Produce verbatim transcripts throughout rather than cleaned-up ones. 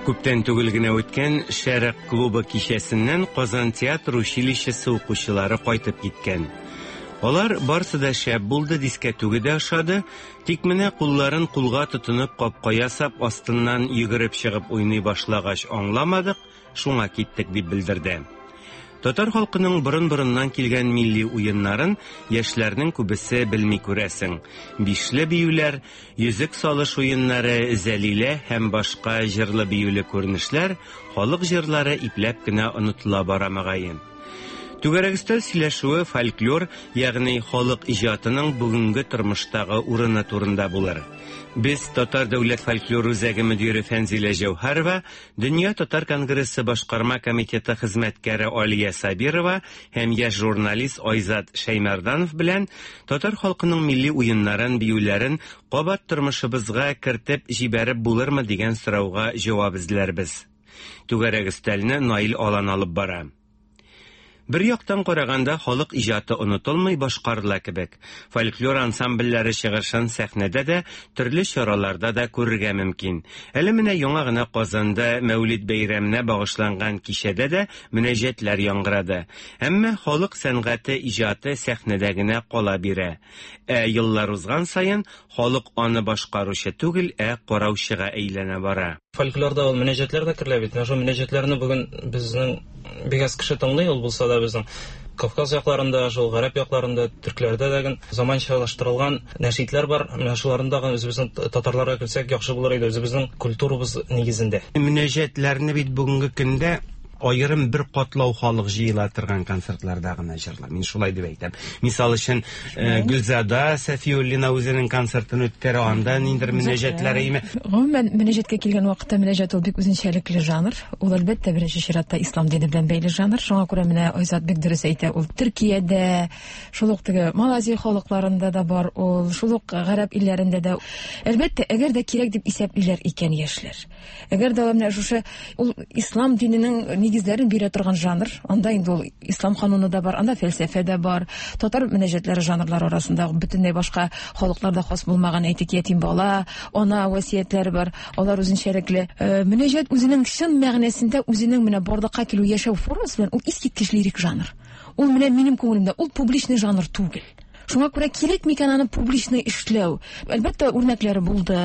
Күптән түгел генә үткән Шәрык клубы кичәсеннән Казан театр училищесы укучылары кайтып киткән. Алар барсы да шәп булды, дискәтүге дә ошады, тик менә кулларын кулга тотынып капка ясап астыннан йөгереп чыгып уйный башлагач аңламадык, шуңа киттек дип белдерде. Татар халкының борын-борыннан килгән милли уеннарын яшьләрнең күбесе белми күрәсең. Бишле биюләр, йөзек салыш уеннары, зәлилә һәм башка җырлы биюле күренешләр, халык җырлары ипләп кенә онытыла бара мөгаен. Түгәрәк өстәл сөйләшүе фольклор, ягъни халык иҗатының бүгенге тормыштагы урыны турында булыр. Без Татар дәүләт фольклор үзәге мөдире Фәнзилә Җәүһәрова, Дөнья татар конгрессы башкарма комитеты хезмәткәре Алия Сабирова һәм яшь журналист Айзат Шәймәрданов белән татар халкының милли уеннарын, биюләрен кабат тормышыбызга кертеп җибәреп булырмы дигән сорауга җавап эзләрбез. Түгәрәк өстәлне Наил Алан алып бара. Бер яктан караганда халык иҗаты онытылмый башкарыла кебек. Фольклор ансамбльләре чыгышын сәхнәдә дә, төрле чараларда да күрергә мөмкин. Әле менә яңа гына Казанда Мәүлид бәйрәменә багышланган кичәдә дә мөнәҗәтләр яңгырады. Әмма халык сәнгате иҗаты сәхнәдә генә кала бирә. Ә еллар узган саен халык аны башкаручы түгел, ә караучыга әйләнә бара. Фольклорда ул мөнәҗәтләр дә керелә бит. Менә шул мөнәҗәтләрне бүген безнең бик аз кеше тыңлый, ул булса да безнең Кавказ якларында, шул гарәп якларында, төркләрдә дә заманчалаштырылган нәшидләр бар. Менә шуларны да үзебезнең татарларга кертсәк яхшы булыр иде, үзебезнең культурабыз нигезендә. Мөнәҗәтләрне бит бүгенге көндә аерым бер катлау халык җыела торган концертларда гына җырлар. Мин шулай дип әйтәм. Мисал өчен, Гөлзада Сәфиуллина үзенең концертын үткәрә, анда ниндидер мөнәҗәтләр име. Гомумән, мөнәҗәткә килгән вакытта мөнәҗәт ул бик үзенчәлекле жанр. Ул әлбәттә беренче чиратта ислам дине белән бәйле жанр. Шуңа күрә менә Айзат бик дөрес әйтә, ул Төркиядә, шул ук теге Малайзия халыкларында да бар, ул шул ук гарәп илләрендә дә. Әлбәттә, әгәр дә кирәк дип исәплиләр икән яшьләр. Әгәр дә менә шушы ул ислам диненең нигезләрен бирә торган жанр, анда инде ул ислам кануны да бар, анда фәлсәфә дә бар. Татар мөнәҗәтләре жанрлары арасында бөтенләй башка халыкларда хас булмаган, әйтик, ятим бала, ана васыятьләре бар, алар үзенчәлекле. Мөнәҗәт үзенең чын мәгънәсендә үзенең менә барлыкка килү яшәү формасы белән ул искиткеч лирик жанр. Ул менә минем күңелемдә ул публичный жанр түгел. Шуңа күрә кирәк микән аны публичный эшләү? Әлбәттә, үрнәкләре булды.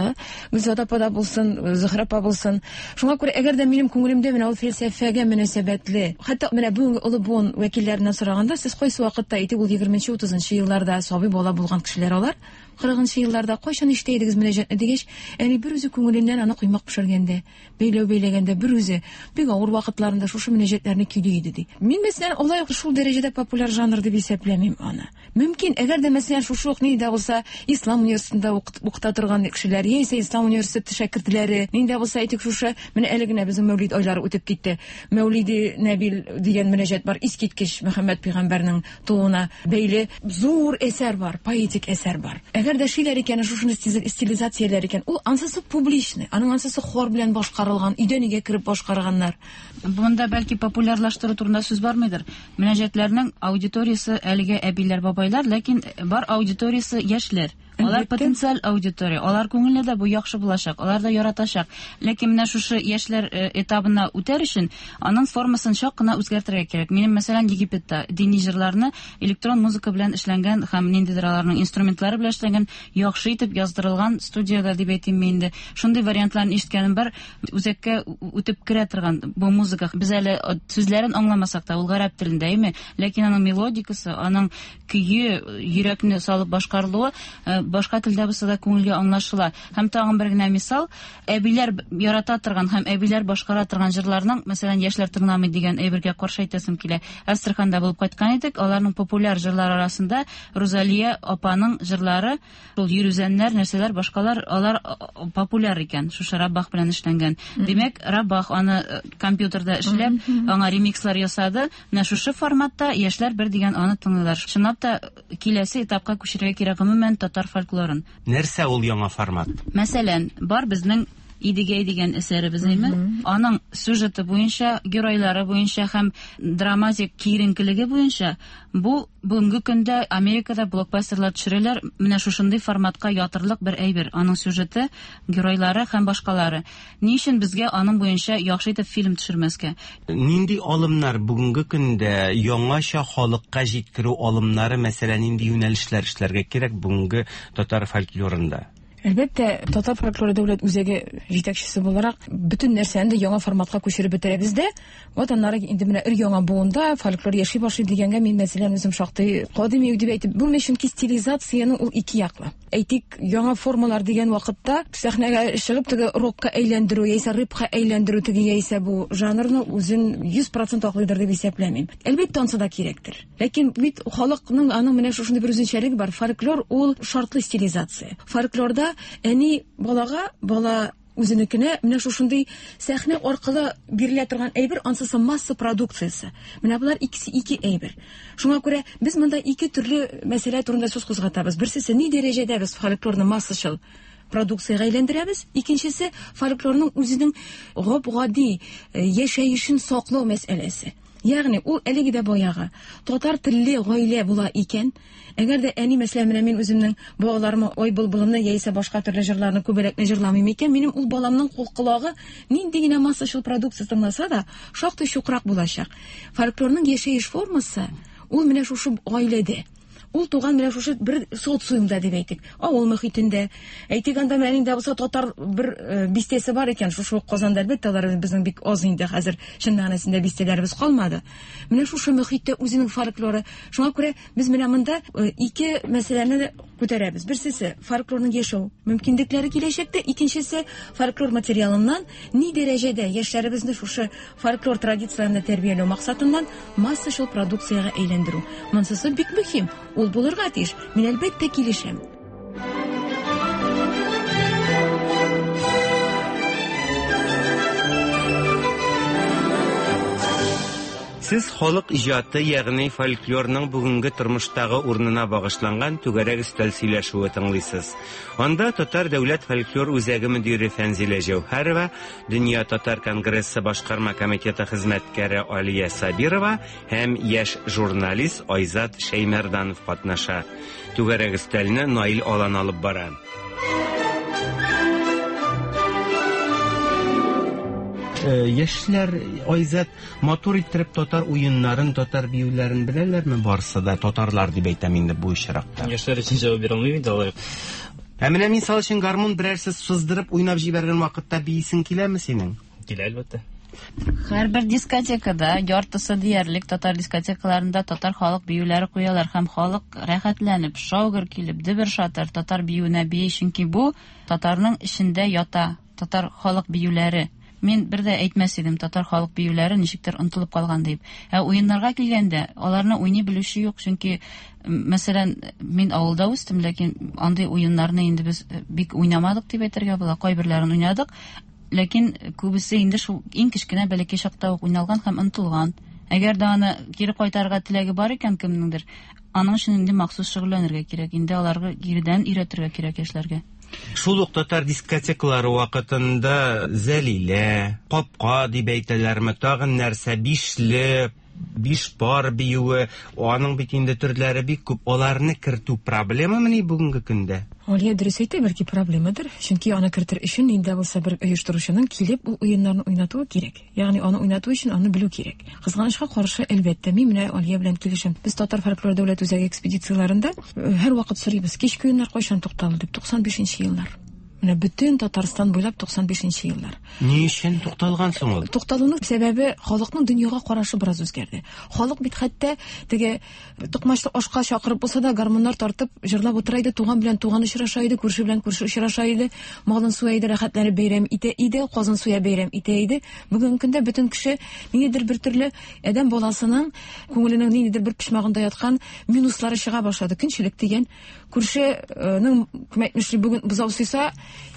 Гөлзада апа да булсын, Зөһрә апа булсын. Шуңа күрә әгәр дә минем күңелемдә менә ул фәлсәфәгә мөнәсәбәтле, хәтта менә бүгенге олы буын вәкилләреннән сораганда, сез кайсы вакытта, әйтик, ул егерменче, утызынчы елларда сабый бала булган кешеләр алар, кырыгынчы елларда кайчан ишетә идегез мөнәҗәтне дигәч, әни бер үзе күңеленнән аны коймак пешергәндә, бәйләү бәйләгәндә бер үзе бик авыр вакытларында шушы мөнәҗәтләрне көйли иде ди. Мин мәсәлән алай ук шул дәрәҗәдә популяр жанр дип исәпләмим аны. Мөмкин, әгәр дә мәсәлән шушы ук нинди дә булса ислам университетында укыта торган кешеләр, яисә ислам университеты шәкертләре, нинди дә булса әйтик шушы, менә әле генә безнең Мәүлид айлары үтеп китте. Мәүлиди Нәбил дигән мөнәҗәт бар, искиткеч Мөхәммәд пәйгамбәрнең тууына бәйле зур әсәр бар, поэтик әсәр бар. Әгәр дә шиләр икән, шушыны стилизацияләр икән, ул ансысы публичный, аның ансысы хор белән башкарылган, өйдән өйгә кереп башкарганнар. Монда бәлки популярлаштыру турында сүз бармыйдыр. Мөнәҗәтләрнең аудиториясе әлегә әбиләр, бабайлар, ләкин бар аудиториясе яшьләр. Алар потенциаль аудитория, алар күңелендә дә бу яхшы булачак, алар да яратачак. Ләкин менә шушы яшьләр этабына үтәр өчен аның формасын чак кына үзгәртергә кирәк. Минем, мәсәлән, Египетта дини җырларны электрон музыка белән эшләнгән һәм ниндидер аларның инструментлары белән эшләнгән, яхшы итеп яздырылган студияда дип әйтим инде. Шундый вариантларны ишеткәнем бар, үзәккә үтеп керә торган бу музыка. Без әле сүзләрен аңламасак та, ул гарәп телендә, әйме? Ләкин аның мелодикасы, аның көе, йөрәкне салып башкарылуы башка телдә булса да күңелгә аңлашыла. Һәм тагын бер генә мисал, әбиләр ярата торган һәм әбиләр башкара торган җырларның, мәсәлән, яшьләр тыңламый дигән әйбергә каршы әйтәсем килә. Әстерханда булып кайткан идек, аларның популяр җырлары арасында Рузалия апаның җырлары, шул йөрүзәннәр, нәрсәләр, башкалар, алар популяр икән, шушы Раббах белән эшләнгән. Димәк, Раббах аны компьютерда эшләп, аңа ремикслар ясады. Менә шушы форматта яшьләр бер дигән аны тыңлыйлар. Чынлап та киләсе этапка күчерергә кирәк гомумән татар фольклорын. Нәрсә ул яңа формат? Мәсәлән, бар безнең Идегәй дигән әсәребез әйме? Аның сюжеты буенча, геройлары буенча һәм драматик киеренкелеге буенча бу бүгенге көндә Америкада блокбастерлар төшерәләр, менә шушындый форматка ятырлык бер әйбер. Аның сюжеты, геройлары һәм башкалары. Ни өчен безгә аның буенча яхшы итеп фильм төшермәскә? Нинди алымнар бүгенге көндә яңача халыкка җиткерү алымнары, мәсәлән, нинди юнәлешләр эшләргә кирәк бүгенге татар фольклорында? Әлбәттә, Татар фольклоры дәүләт үзәге җитәкчесе буларак бөтен нәрсәне дә яңа форматка күчереп бетерәбез дә. Вот аннары инде менә өр яңа буында фольклор яши башлый дигәнгә мин мәсәлән үзем шактый кадими дип әйтеп булмый, чөнки стилизациянең ул ике яклы. Әйтик, яңа формалар дигән вакытта сәхнәгә чыгып теге рокка әйләндерү яисә рэпка әйләндерү теге яисә бу жанрны үзен йөз процент аклыйдыр дип исәпләмим. Әлбәттә, ансы да кирәктер. Ләкин бит халыкның аның менә шушындый бер үзенчәлеге бар. Фольклор ул шартлы стилизация. Фольклорда әни балага, бала үзенекенә менә шушындый сәхнә аркылы бирелә торган әйбер, ансысы масса продукциясе. Менә болар икесе ике әйбер. Шуңа күрә без монда ике төрле мәсьәлә турында сүз кузгатабыз. Берсесе ни дәрәҗәдә без фольклорны массачыл продукциягә әйләндерәбез, икенчесе фольклорның үзенең гап-гади яшәешен саклау мәсьәләсе. Ягъни ул әлеге дә баягы татар телле гаилә була икән, әгәр дә әни, мәсәлән, менә мин үземнең балаларыма ой былбылымны яисә башка төрле җырларны күбәләкне җырламыйм икән, минем ул баламның колагы нинди генә массачыл продукция тыңласа да, шактый чукрак булачак. Фольклорның яшәеш формасы ул менә шушы гаиләдә. Ул туган менә шушы бер социумда дип әйтик, авыл мөхитендә. Әйтик, анда менә инде булса татар бер бистәсе бар икән, шушы Казанда әлбәттә алар безнең бик аз инде хәзер чын мәгънәсендә бистәләребез калмады. Менә шушы мөхиттә үзенең фольклоры. Шуңа күрә без менә монда ике мәсьәләне күтәрәбез. Берсесе фольклорның яшәү мөмкинлекләре киләчәктә, икенчесе фольклор материалыннан ни дәрәҗәдә яшьләребезне шушы фольклор традицияләрен тәрбияләү максатыннан массачыл продукциягә әйләндерү. Монысы бик мөһим. Ул булырга тиеш. Мин әлбәттә килешәм. Сез халык иҗаты, ягъни фольклорның бүгенге тормыштагы урынына багышланган түгәрәк өстәл сөйләшүе тыңлыйсыз. Анда Татар дәүләт фольклор үзәге мөдире Фәнзилә Җәүһәрова, Дөнья татар конгрессы башкарма комитеты хезмәткәре Алия Сабирова һәм яшь журналист Айзат Шәймәрданов катнаша. Түгәрәк өстәлне Наил Алан алып бара. Яшьләр, Айзат, матур иттереп татар уеннарын, татар биюләрен беләләрме барсы да? Татарлар дип әйтәм инде бу очракта. Яшьләр өчен җавап бирә алмыйм инде алай. Ә менә мисал өчен гармун берәрсе сыздырып уйнап җибәргән вакытта биисең киләме синең? Килә, әлбәттә. Һәрбер дискотекада, яртысы диярлек татар дискотекаларында татар халык биюләре куялар һәм халык рәхәтләнеп, шаугыр килеп, дөбер-шатыр татар биюенә бии, чөнки бу татарның эчендә ята, татар халык биюләре. Мин бер дә әйтмәс идем, татар халык биюләре ничектер онытылып калган дип. Ә уеннарга килгәндә, аларны уйный белүче юк, чөнки, мәсәлән, мин авылда үстем, ләкин андый уеннарны инде без бик уйнамадык дип әйтергә була. Кайберләрен уйнадык, ләкин күбесе инде шул иң кечкенә бәләкәй чакта ук уйналган һәм онытылган. Әгәр дә аны кире кайтарырга теләге бар икән кемнеңдер, аның өчен инде махсус шөгыльләнергә кирәк, инде аларга киредән өйрәтергә кирәк яшьләргә. Шул ук татар дискотекалары вакытында Зәлилә, Капка дип әйтәләрме, тагын нәрсә, бишле, биш пар биюе, аның бит инде төрләре бик күп. Аларны кертү проблемамыни бүгенге көндә? Алия дөрес әйтә, бәлки проблемадыр. Чөнки аны кертер өчен инде булса бер оештыручының килеп ул уеннарны уйнатуы кирәк. Ягъни аны уйнату өчен аны белү кирәк. Кызганычка каршы, әлбәттә, мин менә Алия белән килешәм. Без Татар фольклор дәүләт үзәге экспедицияләрендә һәрвакыт сорыйбыз, кичке уеннар кайчан тукталды дип, туксан бишенче еллар. Менә бөтен Татарстан буйлап туксан бишенче еллар. Ни өчен тукталган соң ул? Тукталуның сәбәбе халыкның дөньяга карашы бераз үзгәрде. Халык бит хәтта теге токмачлы ашка чакырып булса да гармуннар тартып җырлап утыра иде, туган белән туган очраша иде, күрше белән күрше очраша иде, малын суя иде, рәхәтләнеп бәйрәм итә иде, казын суя бәйрәм итә иде. Бүгенге көндә бөтен кеше ниндидер бер төрле адәм баласының күңеленең ниндидер бер почмагында яткан минуслары чыга башлады. Көнчелек дигән күршенең кем әйтмешли бүген бозау суйса,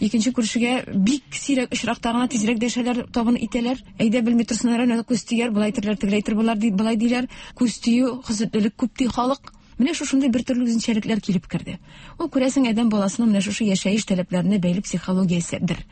икенче күршегә бик сирәк очракта гына тизрәк дәшәләр, табын итәләр. Әйдә белми торсыннар, әнә күз тияр, болай итерләр, тегеләй итер, болар ди, болай диләр. Күз тию, хезмәтлелек күп ди халык. Менә шушындый бер төрле үзенчәлекләр килеп керде. Ул күрәсең адәм баласының менә шушы яшәеш таләпләренә бәйле психологияседер.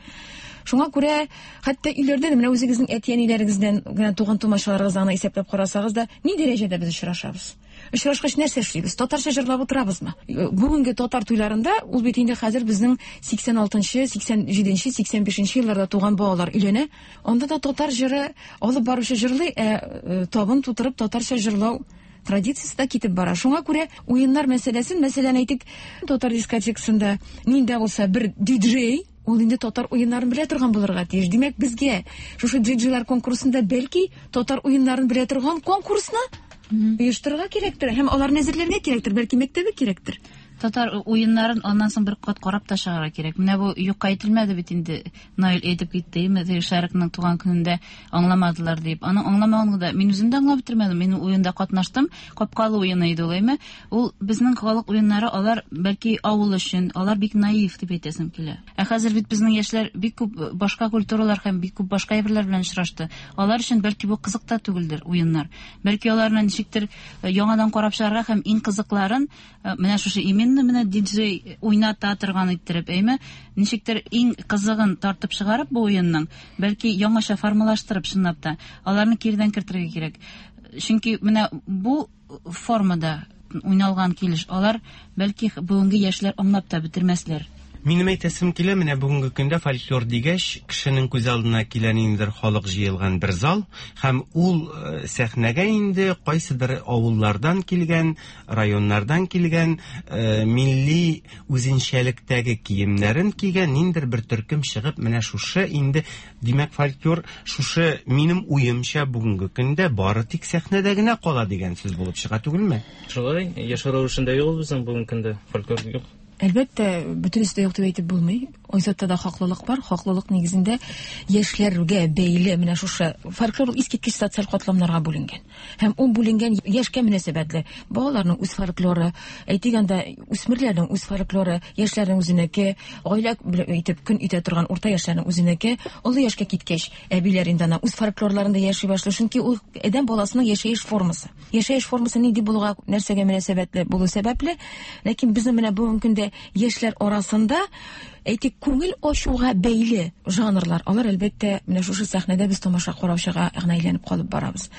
Шуңа күрә хәтта өйләрдә дә менә үзегезнең әти-әниләрегездән генә туган тумачаларыгыздан исәпләп карасагыз да, ни дәрәҗәдә без очрашабыз? Очрашкач нәрсә эшлибез? Татарча җырлап утырабызмы? Бүгенге татар туйларында ул бит инде хәзер безнең сиксән алтынчы, сиксән җиденче, сиксән бишенче елларда туган балалар өйләнә. Анда да татар җыры алып баручы җырлый, ә табын тутырып татарча җырлау традициясе дә китеп бара. Шуңа күрә уеннар мәсьәләсен, мәсәлән, әйтик, татар дискотекасында нинди булса бер диджей, ул инде татар уеннарын белә торган булырга тиеш. Димәк, безгә шушы диджейлар конкурсында бәлки татар уеннарын белә торган конкурсны оештырырга кирәктер һәм аларны әзерләргә кирәктер, бәлки мәктәбе кирәктер. Татар уеннарын аннан соң бер кат карап та чыгарга кирәк. Менә бу юкка әйтелмәде бит инде. Наил әйтеп китте, теге Шәрыкның туган көнендә аңламадылар дип. Аны аңламаганны да мин үзем дә аңлап бетермәдем. Мин уенда катнаштым. Капкалы уены иде ул, әйме? Ул безнең халык уеннары, алар бәлки авыл өчен, алар бик наив дип әйтәсем килә. Ә хәзер бит безнең яшьләр бик күп башка культуралар һәм бик күп башка әйберләр белән очрашты. Алар өчен бәлки бу кызык та түгелдер уеннар. Бәлки аларны ничектер яңадан карап чыгарга һәм иң кызыкларын менә шушы именно менә диджей уйната торган иттереп, әйме, ничектер иң кызыгын тартып чыгарып бу уенның, бәлки яңача формалаштырып чынлап та аларны кирдән кертергә кирәк. Чөнки менә бу формада уйналган килеш алар бәлки бүгенге яшьләр аңлап та бетермәсләр. Минем әйтәсем килә, менә бүгенге көндә фольклор дигәч, кешенең күз алдына килә ниндидер халык җыелган бер зал һәм ул сәхнәгә инде кайсыдыр авыллардан килгән, районнардан килгән, милли үзенчәлектәге киемнәрен кигән ниндидер бер төркем чыгып, менә шушы инде, димәк, фольклор шушы минем уемча бүгенге көндә бары тик сәхнәдә генә кала дигән сүз булып чыга түгелме? Шулай, яшәү рәвешендә юк безнең бүгенге көндә фольклор юк. Әлбәттә, бөтенесе дә юк дип әйтеп булмый. Айзатта да хаклылык бар. Хаклылык нигезендә яшьләргә бәйле менә шушы фольклор искиткеч социаль катламнарга бүленгән. Һәм ул бүленгән яшькә мөнәсәбәтле. Балаларның үз фольклоры, әйтик анда үсмерләрнең үз фольклоры, яшьләрнең үзенеке, гаилә итеп көн итә торган урта яшьләрнең үзенеке, олы яшькә киткәч, әбиләр инде ана үз фольклорларында яши башлый. Чөнки ул адәм баласының яшәеш формасы. Яшәеш формасы нинди булуга, нәрсәгә мөнәсәбәтле булу сәбәпле, ләкин безнең менә бүгенге көндә яшьләр арасында әйтик күңел ачуга бәйле жанрлар, алар әлбәттә менә шушы сәхнәдә без тамаша караучыга гына әйләнеп калып барабыз.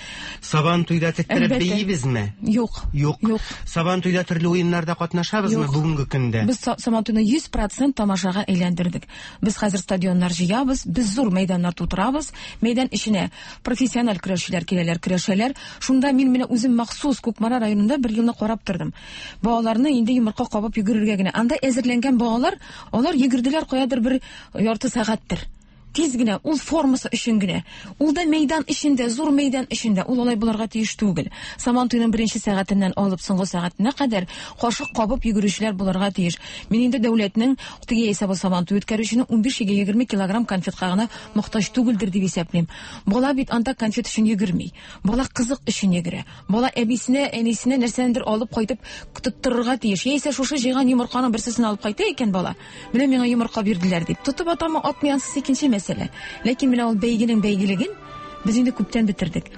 Сабан туйда теттереп бейибезме? Юк. Юк. Юк. Сабан туйда төрле уеннарда катнашабызмы бүгенге көндә? Без Сабан туйны йөз процент тамашага әйләндердек. Без хәзер стадионнар җыябыз, без зур мәйданнар тутырабыз. Мәйдан эченә профессиональ көрәшчеләр киләләр, көрәшәләр. Шунда мин менә үзем махсус Кукмара районында бер елны карап тордым. Балаларны инде йомырка кабып йөгерергә генә. Анда әзерләнгән балалар, алар йөгерделәр каядыр бер ярты сәгатьтер. Тиз генә, ул формасы өчен генә. Ул да мәйдан эчендә, зур мәйдан эчендә, ул алай булырга тиеш түгел. Сабан туйның беренче сәгатеннән алып соңгы сәгатенә кадәр кашык кабып йөгерүчеләр булырга тиеш. Мин инде дәүләтнең теге яисә бу Сабан туй үткәрүченең унбиш егерме килограмм конфетка гына мохтаҗ түгелдер дип исәплим. Бала бит анда конфет өчен йөгерми. Бала кызык өчен йөгерә. Бала әбисенә, әнисенә нәрсәндер алып кайтып тоттырырга тиеш. Яисә шушы җыйган йомырканың берсен алып кайта икән бала. Менә миңа йомырка бирделәр дип. Тотып атамы, атмый, ансыз икенче мәсьәлә. Ләкин менә ул бәйгенең бәйгелеген без инде күптән бетердек.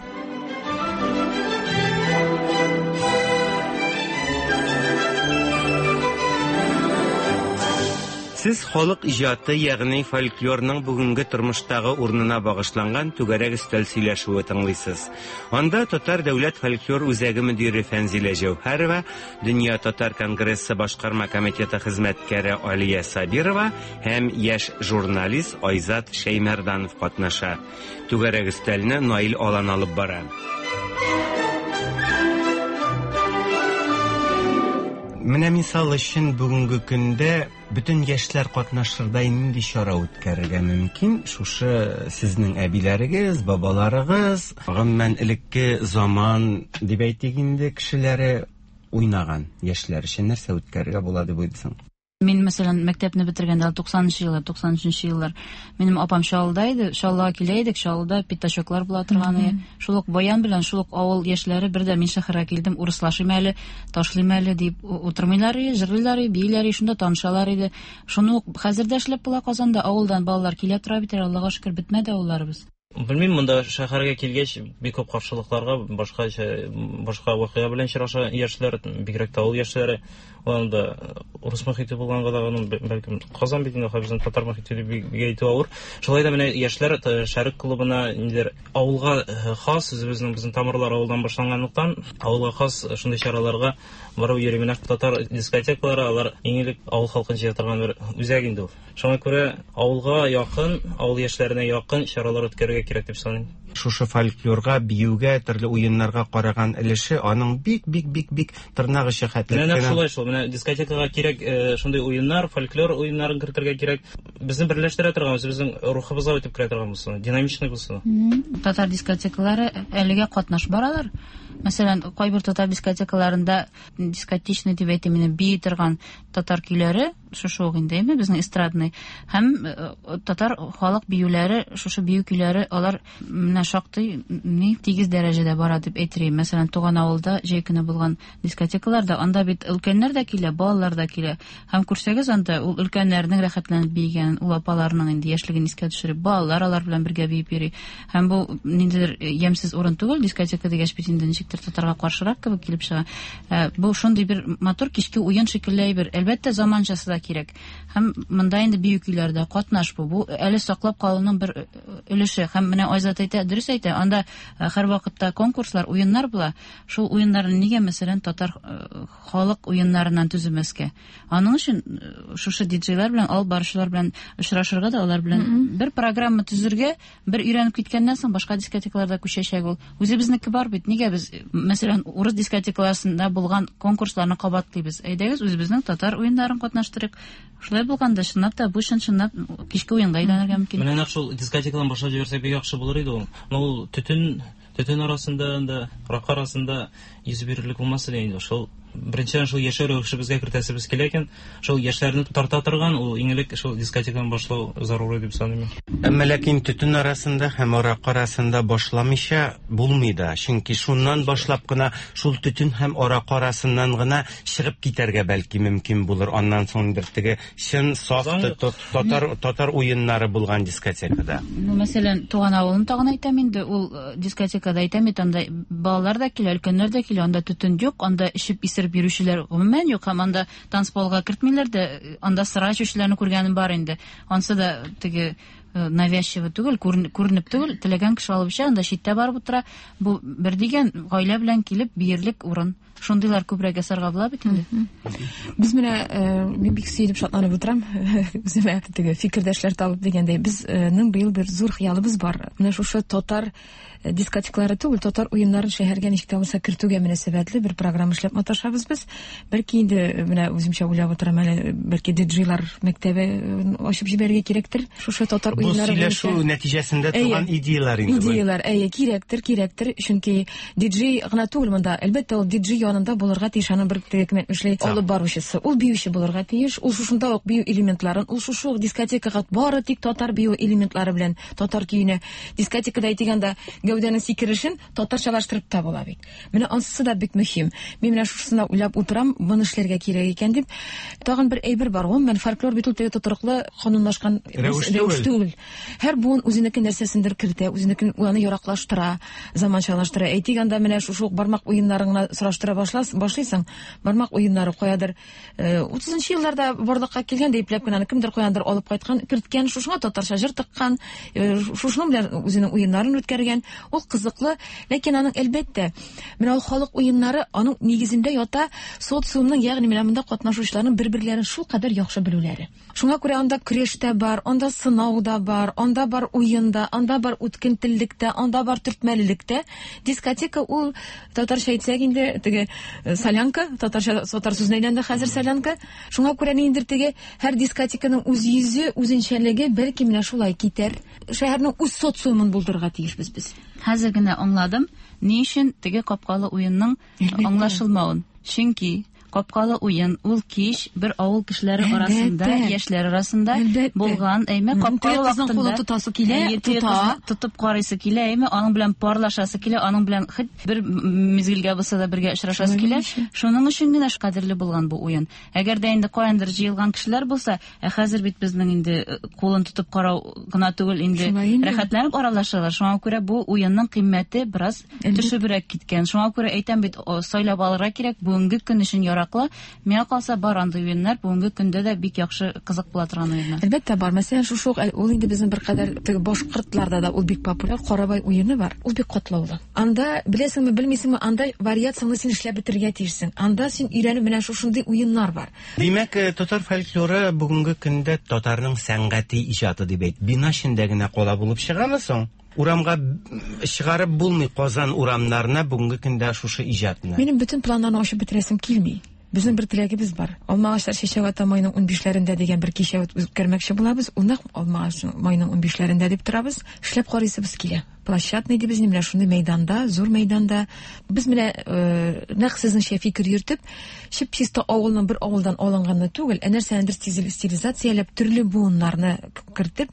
Сез халык иҗаты, ягъни фольклорның бүгенге тормыштагы урынына багышланган түгәрәк өстәл сөйләшүе тыңлыйсыз. Анда Татар дәүләт фольклор үзәге мөдире Фәнзилә Җәүһәрова, Дөнья татар конгрессы башкарма комитеты хезмәткәре Алия Сабирова һәм яшь журналист Айзат Шәймәрданов катнаша. Түгәрәк өстәлне Наил Алан алып бара. Менә мисал өчен бүгенге көндә бөтен яшьләр катнашырдай нинди чара үткәрергә мөмкин? Шушы сезнең әбиләрегез, бабаларыгыз, гомумән элекке заман дип әйтик инде, кешеләре уйнаган яшьләр өчен нәрсә үткәрергә була дип уйлыйсың? Мин, мәсәлән, мәктәпне бетергәндә туксанынчы еллар, туксан өченче еллар, минем апам Чаллыда иде, Чаллыга килә идек, Чаллыда пятачоклар була торган иде. Шул ук баян белән шул ук авыл яшьләре бер дә мин шәһәргә килдем, урыслашыйм әле, ташлыйм әле дип утырмыйлар иде, җырлыйлар иде, бииләр иде, шунда танышалар иде. Шуны ук хәзер дә эшләп була Казанда, авылдан балалар килә тора бит, Аллага шөкер, бетмәде авылларыбыз. Белмим, монда шәһәргә килгәч бик күп каршылыкларга, башка башка вакыйга белән очраша яшьләр, бигрәк тә авыл яшьләре. Анда урыс мохите булганга да аның бәлкем Казан бит инде безнең татар мохите дип бик әйтү авыр. Шулай да менә яшьләр Шәрык клубына ниндидер авылга хас, үзебезнең безнең тамырлар авылдан башланганлыктан, авылга хас шундый чараларга барып йөри. Менә татар дискотекалары алар иң элек авыл халкын җыя торган бер үзәк инде ул. Шуңа күрә авылга якын, авыл яшьләренә якын чаралар үткәрергә кирәк дип саныйм. Шушы фольклорга, биюгә, төрле уеннарга караган өлеше аның бик бик бик бик тырнак очы хәтле. Менә шулай шул. Менә дискотекага кирәк шундый уеннар, фольклор уеннарын кертергә кирәк. Безне берләштерә торган, безнең рухыбызга үтеп керә торган булсын, динамичный булсын. Татар дискотекалары әлегә катнаш баралар. Мәсәлән, кайбер татар дискотекаларында дискотечный дип әйтим, инде бии торган татар көйләре, шушы ук инде, әйме, безнең эстрадный һәм татар халык биюләре, шушы бию көйләре, алар менә шактый ни тигез дәрәҗәдә бара дип әйтер идем. Мәсәлән, туган авылда җәй көне булган дискотекаларда анда бит өлкәннәр дә килә, балалар да килә. Һәм күрсәгез, анда ул өлкәннәрнең рәхәтләнеп биегән, ул апаларның инде яшьлеген искә төшереп, балалар алар белән бергә биеп йөри. Һәм бу ниндидер ямьсез урын түгел, дискотека дигәч бит инде ничектер татарга каршырак кебек килеп чыга. Бу шундый бер матур кичке уен шикелле бер. Әлбәттә, заманчасы да кирәк. Һәм монда инде бию көйләрдә катнаш бу. Бу әле саклап калуның бер өлеше. Һәм менә Айзат әйтә, дөрес әйтә, анда һәр вакытта конкурслар, уеннар була. Шул уеннарны нигә, мәсәлән, татар халык уеннарыннан төземәскә? Аның өчен шушы диджейлар белән, алып баручылар белән очрашырга да, алар белән бер программа төзергә, бер өйрәнеп киткәннән соң башка дискотекаларда күчәчәк ул. Үзебезнеке бар бит. Нигә без, мәсәлән, урыс дискотекаларында булган конкурсларны кабатлыйбыз? Әйдәгез, үзебезнең татар уеннарын катнаштырыйк. Шулай булганда, чынлап та бу чын-чынлап кичке уенга әйләнергә мөмкин. Менә нәкъ шул дискотекадан башлап җибәрсәк бик яхшы булыр иде ул. Но ул төтен, төтен арасында, анда аракы арасында йөз бирерлек булмас иде инде. Шул беренчедән шул яшәү рәвешебезгә кертәсебез килә икән, шул яшьләрне тарта торган ул иң элек шул дискотекадан башлау зарури дип саныйм. Әмма ләкин төтен арасында һәм аракы арасында башламыйча булмый да, чөнки шуннан башлап кына шул төтен һәм аракы арасыннан гына чыгып китәргә бәлки мөмкин булыр. Аннан соң бер теге чын саф татар татар уеннары булган дискотекада. Ну, мәсәлән, туган авылын тагын әйтәм инде, ул дискотекада әйтәм бит, анда балалар да килә, өлкәннәр дә килә, анда төтен юк, анда эчеп исереп йөрүчеләр гомумән юк, һәм анда танцполга кертмиләр дә, анда сыра эчүчеләрне күргәнем бар инде. Ансы да теге навязчиво түгел, күренеп түгел, теләгән кеше алып эчә, анда читтә барып утыра. Бу бер дигән гаилә белән килеп биерлек урын. Шундыйлар күбрәк ясарга була бит инде. Без менә мин бик сөенеп шатланып утырам. Үземә теге фикердәшләр табып дигәндәй, безнең быел бер зур хыялыбыз бар. Менә шушы татар дискотекалары түгел, татар уеннарын шәһәргә ничек тә булса кертүгә мөнәсәбәтле бер программа эшләп маташабыз без. Бәлки инде менә үземчә уйлап утырам әле, бәлки диджейлар мәктәбе ачып җибәрергә кирәктер. Шушы татар уеннары бу сөйләшү нәтиҗәсендә туган идеялар инде. Идеялар, әйе, кирәктер, кирәктер, чөнки диджей гына түгел монда. Әлбәттә, ул диджей янында булырга тиеш, аның бер теге эшли алып баручысы. Ул биюче булырга тиеш, ул шушында ук бию элементларын, ул шушы ук дискотекага бары тик татар бию элементлары белән, татар көенә. Дискотекада әйтгәндә гәүдәнең сикерешен татарчалаштырып та була бит. Менә ансы да бик мөһим. Мин менә шушысына уйлап утырам, моны эшләргә кирәк икән дип. Тагын бер әйбер бар, гомумән фольклор бит ул теге тотрыклы канунлашкан рәвеш түгел. Һәр буын үзенеке нәрсәсендер кертә, үзенекен аны яраклаштыра, заманчалаштыра. Әйтик, анда менә шушы ук бармак уеннарын гына сораштыра башлыйсың. Бармак уеннары каядыр утызынчы елларда барлыкка килгән, ипләп кенә кемдер каяндыр алып кайткан, керткән, шушыңа татарча җыр тыккан, шушының белән үзенең уеннарын үткәргән. Ул кызыклы, ләкин аның әлбәттә менә ул халык уеннары аның нигезендә ята социумның, ягъни менә монда катнашучыларның бер-берләрен шулкадәр яхшы белүләре. Шуңа күрә анда көрәш тә бар, анда сынау да бар, анда бар уен да, анда бар үткен теллек тә, анда бар төртмәлелек тә. Дискотека ул татарча әйтсәк инде теге солянка, татарча татар сүзенә әйләнде хәзер солянка. Шуңа күрә ниндидер теге һәр дискотеканың үз йөзе, үзенчәлеге бәлки менә шулай китәр. Шәһәрнең үз социумын булдырырга тиешбез без. Хәзер генә аңладым, ни өчен теге капкалы уенның аңлашылмавын. Чөнки капкалы уен ул кич бер авыл кешеләре арасында, яшьләр арасында булган, әйме, капкалы вакытында кулын тотасы килә, тота, тотып карыйсы килә, әйме, аның белән парлашасы килә, аның белән хит бер мизгелгә булса да бергә очрашасы килә. Шуның өчен генә кадерле булган бу уен. Әгәр дә инде каяндыр җыелган кешеләр булса, ә хәзер бит безнең инде кулын тотып карау гына түгел, инде рәхәтләнеп аралашалар. Шуңа күрә бу уенның кыйммәте бераз төшебрәк киткән. Шуңа күрә әйтәм бит, сайлап алырга кирәк бүгенге көн өчен яраклы. Миңа калса, бар андый уеннар, бүгенге көндә дә бик яхшы, кызык була торган уеннар. Әлбәттә бар. Мәсәлән, шушы ук, ул инде безнең беркадәр теге башкортларда да ул бик популяр Карабай уены бар. Ул бик катлаулы. Анда беләсеңме, белмисеңме, анда вариацияне син эшләп бетерергә тиешсең. Анда син өйрәнеп менә шушындый уеннар бар. Димәк, татар фольклоры бүгенге көндә татарның сәнгати иҗаты дип әйт. Бина эчендә генә кала булып чыгамы соң? Урамга чыгарып булмый Казан урамнарына бүгенге көндә шушы иҗатны. Минем бөтен планнарны ачып бетерәсем килми. Безнең бер теләгебез бар. Алмагачлар чәчәк ата майның унбишләрендә дигән бер кичә үткәрмәкче булабыз. Ул нәкъ алмагач майның унбишләрендә дип торабыз. Эшләп карыйсыбыз килә. Площадный дибез, менә шундый мәйданда, зур мәйданда. Без менә нәкъ сезнеңчә фикер йөртеп, чип-чиста авылның бер авылдан алынганны түгел, ә нәрсәнедер стилизацияләп, төрле буыннарны кертеп,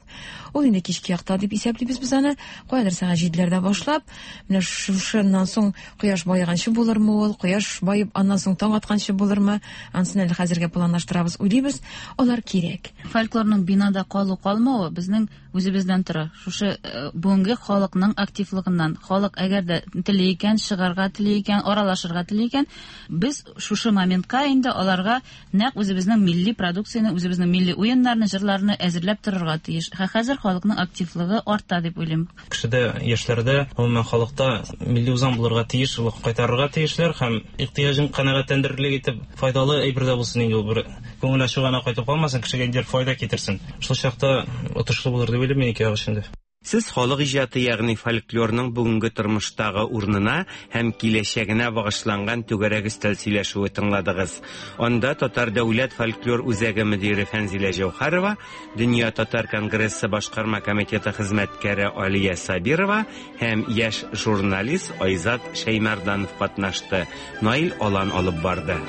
ул инде кичке якта дип исәплибез без аны. Каядыр сәгать җиделәрдә башлап, менә шушыннан соң кояш баеганчы булырмы ул, кояш баеп аннан соң таң атканчы булырмы, анысын әле хәзергә планлаштырабыз, уйлыйбыз. Алар кирәк. Фольклорның бинада калу калмавы безнең үзебездән тора. Шушы бүгенге халыкның активлыгыннан. Халык әгәр дә тели икән, чыгарга тели икән, аралашырга тели икән, без шушы моментка инде аларга нәкъ үзебезнең милли продукцияне, үзебезнең милли уеннарны, җырларны әзерләп торырга тиеш. Хәзер халыкның активлыгы арта дип уйлыйм. Кешедә, яшьләрдә, гомумән халыкта милли үзаң булырга тиеш, ул кайтарырга тиешләр һәм ихтыяҗын канәгатьләндерерлек итеп файдалы әйбер дә булсын инде ул, бер күңел ачу гына кайтып калмасын, кешегә инде файда китерсен. Шул чакта отышлы булыр дип уйлыйм мин ике як өчен дә. Сез халык иҗаты, ягъни фольклорның бүгенге тормыштагы урынына һәм киләчәгенә багышланган түгәрәк өстәл сөйләшүе тыңладыгыз. Анда Татар дәүләт фольклор үзәге мөдире Фәнзилә Җәүһәрова, Дөнья татар конгрессы башкарма комитеты хезмәткәре Алия Сабирова һәм яшь журналист Айзат Шәймәрданов катнашты. Наил Алан алып барды.